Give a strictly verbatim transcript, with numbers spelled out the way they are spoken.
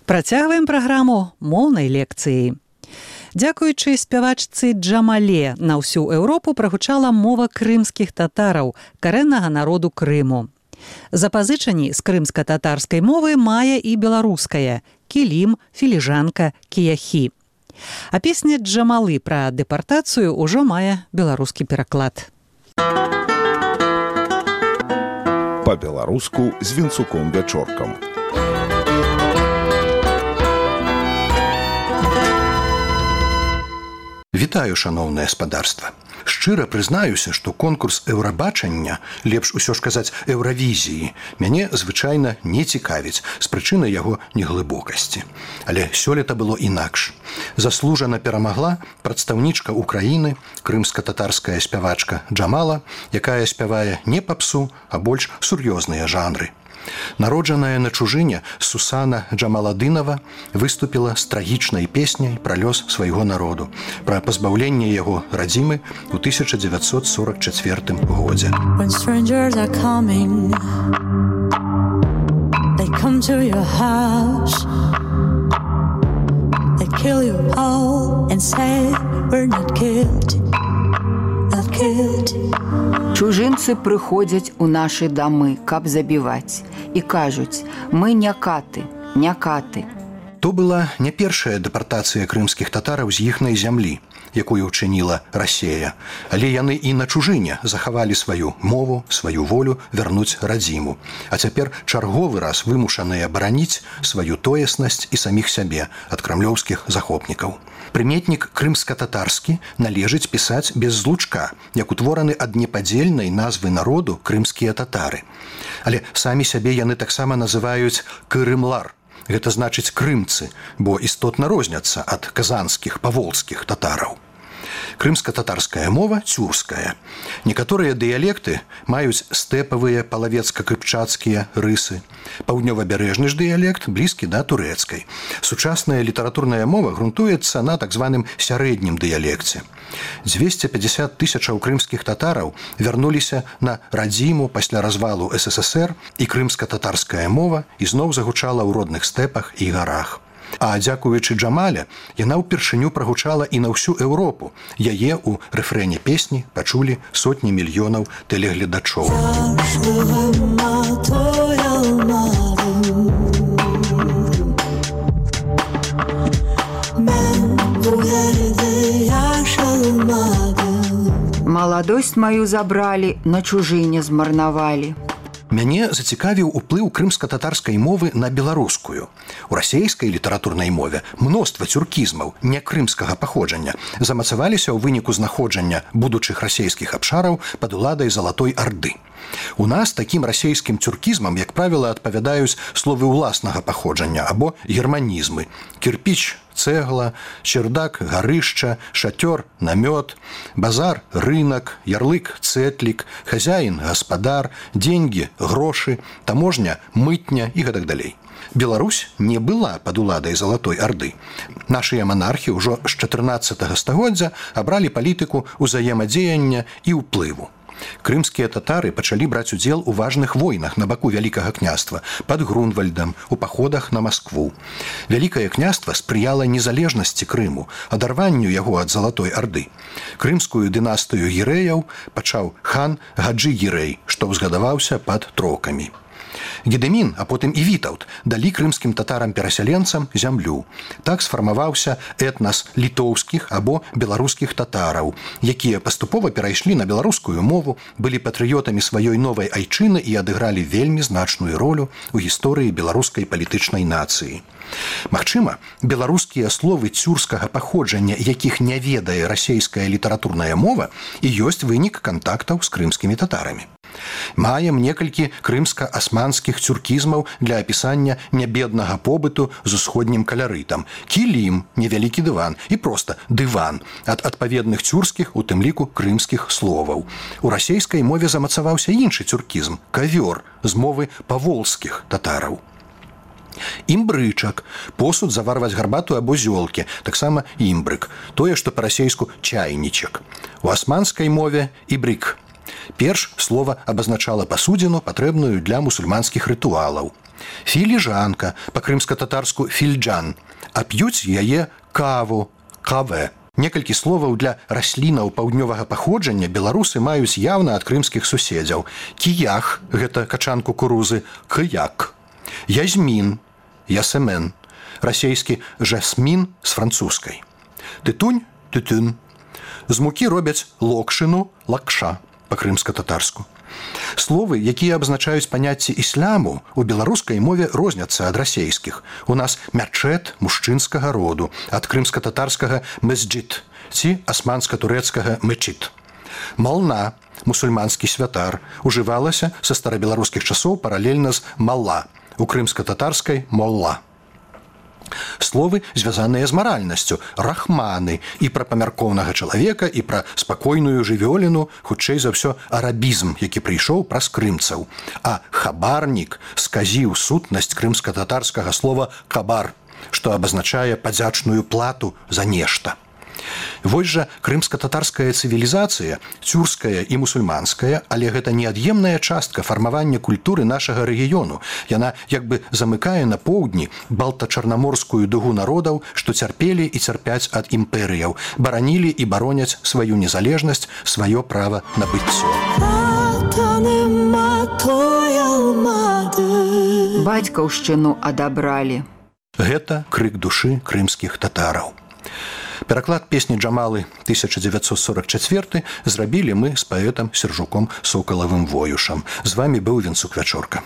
Працягваем праграму моўнай лекцыі. Дзякуючы спявачцы Джамале на ўсю Еўропу прагучала мова крымскіх татараў, карэннага народу Крыму. Запазычанні з крымска-татарскай мовы мае і беларуская – кілім, філіжанка, кіяхі. А песня Джамалы пра дэпартацыю ўжо мае беларускі пераклад. Па-беларуску з Вінцуком-Вячоркам. Вітаю, шаноўнае спадарства. Шчыра прызнаюся, што конкурс еўрабачання, лепш усё ж казаць еўравізіі, мяне звычайна не цікавіць з прычыны яго неглыбокасці. Але сёлета было інакш. Заслужана перамагла прадстаўнічка Украіны, крымска-татарская спявачка Джамала, якая спявае не папсу, а больш сур'ёзныя жанры. Народжаная на чужыне Сусана Джамаладынова выступіла з трагічнай песняй пра лёс свайго народу, пра пазбаўленне яго радзімы ў тысяча дзевяцьсот сорок чацвёртым годзе. When strangers are coming, they come to your house, they kill you all and say we're not killed, not killed. Чужынцы прыходзяць у нашы дамы, каб забіваць. І кажуць, мы не каты, не каты. То была не першая дэпартацыя крымскіх татараў з іхнай зямлі, якую ўчыніла Расія, але яны і на чужыне захавалі сваю мову, сваю волю вярнуць радзіму. А цяпер чарговы раз вымушаныя бараніць сваю тоеснасць і саміх сябе ад крамлёўскіх захопнікаў. Прыметнік крымска-татарскі належыць пісаць без злучка, як утвораны ад непадзельнай назвы народу крымскія татары. Але самі сябе яны таксама называюць кырымлар. Гэта значыць крымцы, бо істотна розняцца ад казанскіх, паволжскіх татараў. Крымска-татарская мова цюрская. Некаторыя дыялекты маюць стэпавыя палавецка-кыпчацкія рысы. Паўднёвабярэжны ж дыялект блізкі да турэцкай. Сучасная літаратурная мова грунтуецца на так званым сярэднім дыялекце. дзвесце пятьдесят тысячаў крымскіх татараў вярнуліся на радзіму пасля развалу эс эс эс эр, і крымска-татарская мова ізноў загучала ў родных стэпах і гарах. А дзякуючы Джамале, яна ўпершыню прагучала і на ўсю Еўропу. Яе ў рэфрэне песні пачулі сотні мільёнаў тэлегледачоў. Маладосць маю забралі, на чужыне змарнавалі. Мяне зацікавіў уплыў крымска-татарскай мовы на беларускую. У расейскай літаратурнай мове мноства цюркізмаў не крымскага паходжання замацаваліся ў выніку знаходжання будучых расейскіх абшараў пад уладай Залатой Арды. У нас такім расейскім цюркізмам, як правіла, адпавядаюць словы ўласнага паходжання або германізмы: кірпіч, цэгла, чердак, гарышча, шатёр, намёт, базар, рынок, ярлык, цэтлік, хазяін, гаспадар, деньги, грошы, таможня, мытня і гэтак далей. Беларусь не была пад уладай Залатой Арды. Нашыя манархі ўжо з чатырнаццатага стагоддзя абралі палітыку ўзаемадзеяння і ўплыву. Крымскія татары пачалі браць удзел у важных войнах на баку Вялікага княства, пад Грунвальдам, у паходах на Маскву. Вялікае княства спрыяла незалежнасці Крыму, адарванню яго ад Залатой Арды. Крымскую дынастыю гірэяў пачаў хан Гаджы-Гірэй, што ўзгадаваўся пад трокамі. Гедэмін, а потым і Вітаўт далі крымскім татарам-перасяленцам зямлю. Так сфармаваўся этнас літоўскіх або беларускіх татараў, якія паступова перайшлі на беларускую мову, былі патрыётамі сваёй новай айчыны і адыгралі вельмі значную ролю ў гісторыі беларускай палітычнай нацыі. Магчыма, беларускія словы цюрскага паходжання, якіх не ведае расейская літаратурная мова, і ёсць вынік кантактаў з крымскімі татарамі. Маем некалькі крымска-асманскіх цюркізмаў для апісання нябеднага побыту з усходнім калярытам. Кілім, невялікі дыван, і проста дыван ад адпаведных цюрскіх, у тым ліку крымскіх словаў. У расейскай мове замацаваўся іншы цюркізм – кавёр, з мовы паволжскіх татараў. Імбрычак – посуд заварваць гарбату або зёлкі, таксама імбрык, тое, што па-расейску чайнічак. У асманскай мове – ібрык. Перш слова абазначала пасудзіну, патрэбную для мусульманскіх рытуалаў. Філіжанка, па-крымска-татарску фільджан, а п'юць яе каву, каве. Некалькі словаў для раслінаў паўднёвага паходжання беларусы маюць яўна ад крымскіх суседзяў. Кіях – гэта качан кукурузы, кыяк. Язмін, ясемен, расейскі жасмін з французскай. Тытунь, тытун. З мукі робяць локшыну, лакша, па-крымска-татарску. Словы, якія абазначаюць паняцці ісламу, у беларускай мове розняцца ад расейскіх. У нас мячэт мужчынскага роду, ад крымска-татарскага мэсджид ці асманска-турэцкага мэчит. Мална, мусульманскі святар, ужывалася са старабеларускіх часоў паралельна з малла, у крымска-татарскай молла. Словы, звязаныя з маральнасцю, рахманы, і пра памяркоўнага чалавека, і пра спакойную жывёліну, хутчэй за ўсё арабізм, які прыйшоў праз крымцаў. А хабарнік сказіў сутнасць крымска-татарскага слова «кабар», што абазначае падзячную плату за нешта. Вось жа крымска-татарская цывілізацыя, цюрская і мусульманская, але гэта неад'емная частка фармавання культуры нашага рэгіёну. Яна як бы замыкае на поўдні балта-чарнаморскую дугу народаў, што цярпелі і цярпяць ад імперыяў, баранілі і бароняць сваю незалежнасць, сваё права на быццё. Бацькаўшчыну адабралі. Гэта крык душы крымскіх татараў. Пераклад песні Джамалы тысяча дзевяцьсот сорок чацвёрты зрабілі мы з паэтам Сержуком Сокалавым Воюшам. З вамі быў Венцук Вячорка.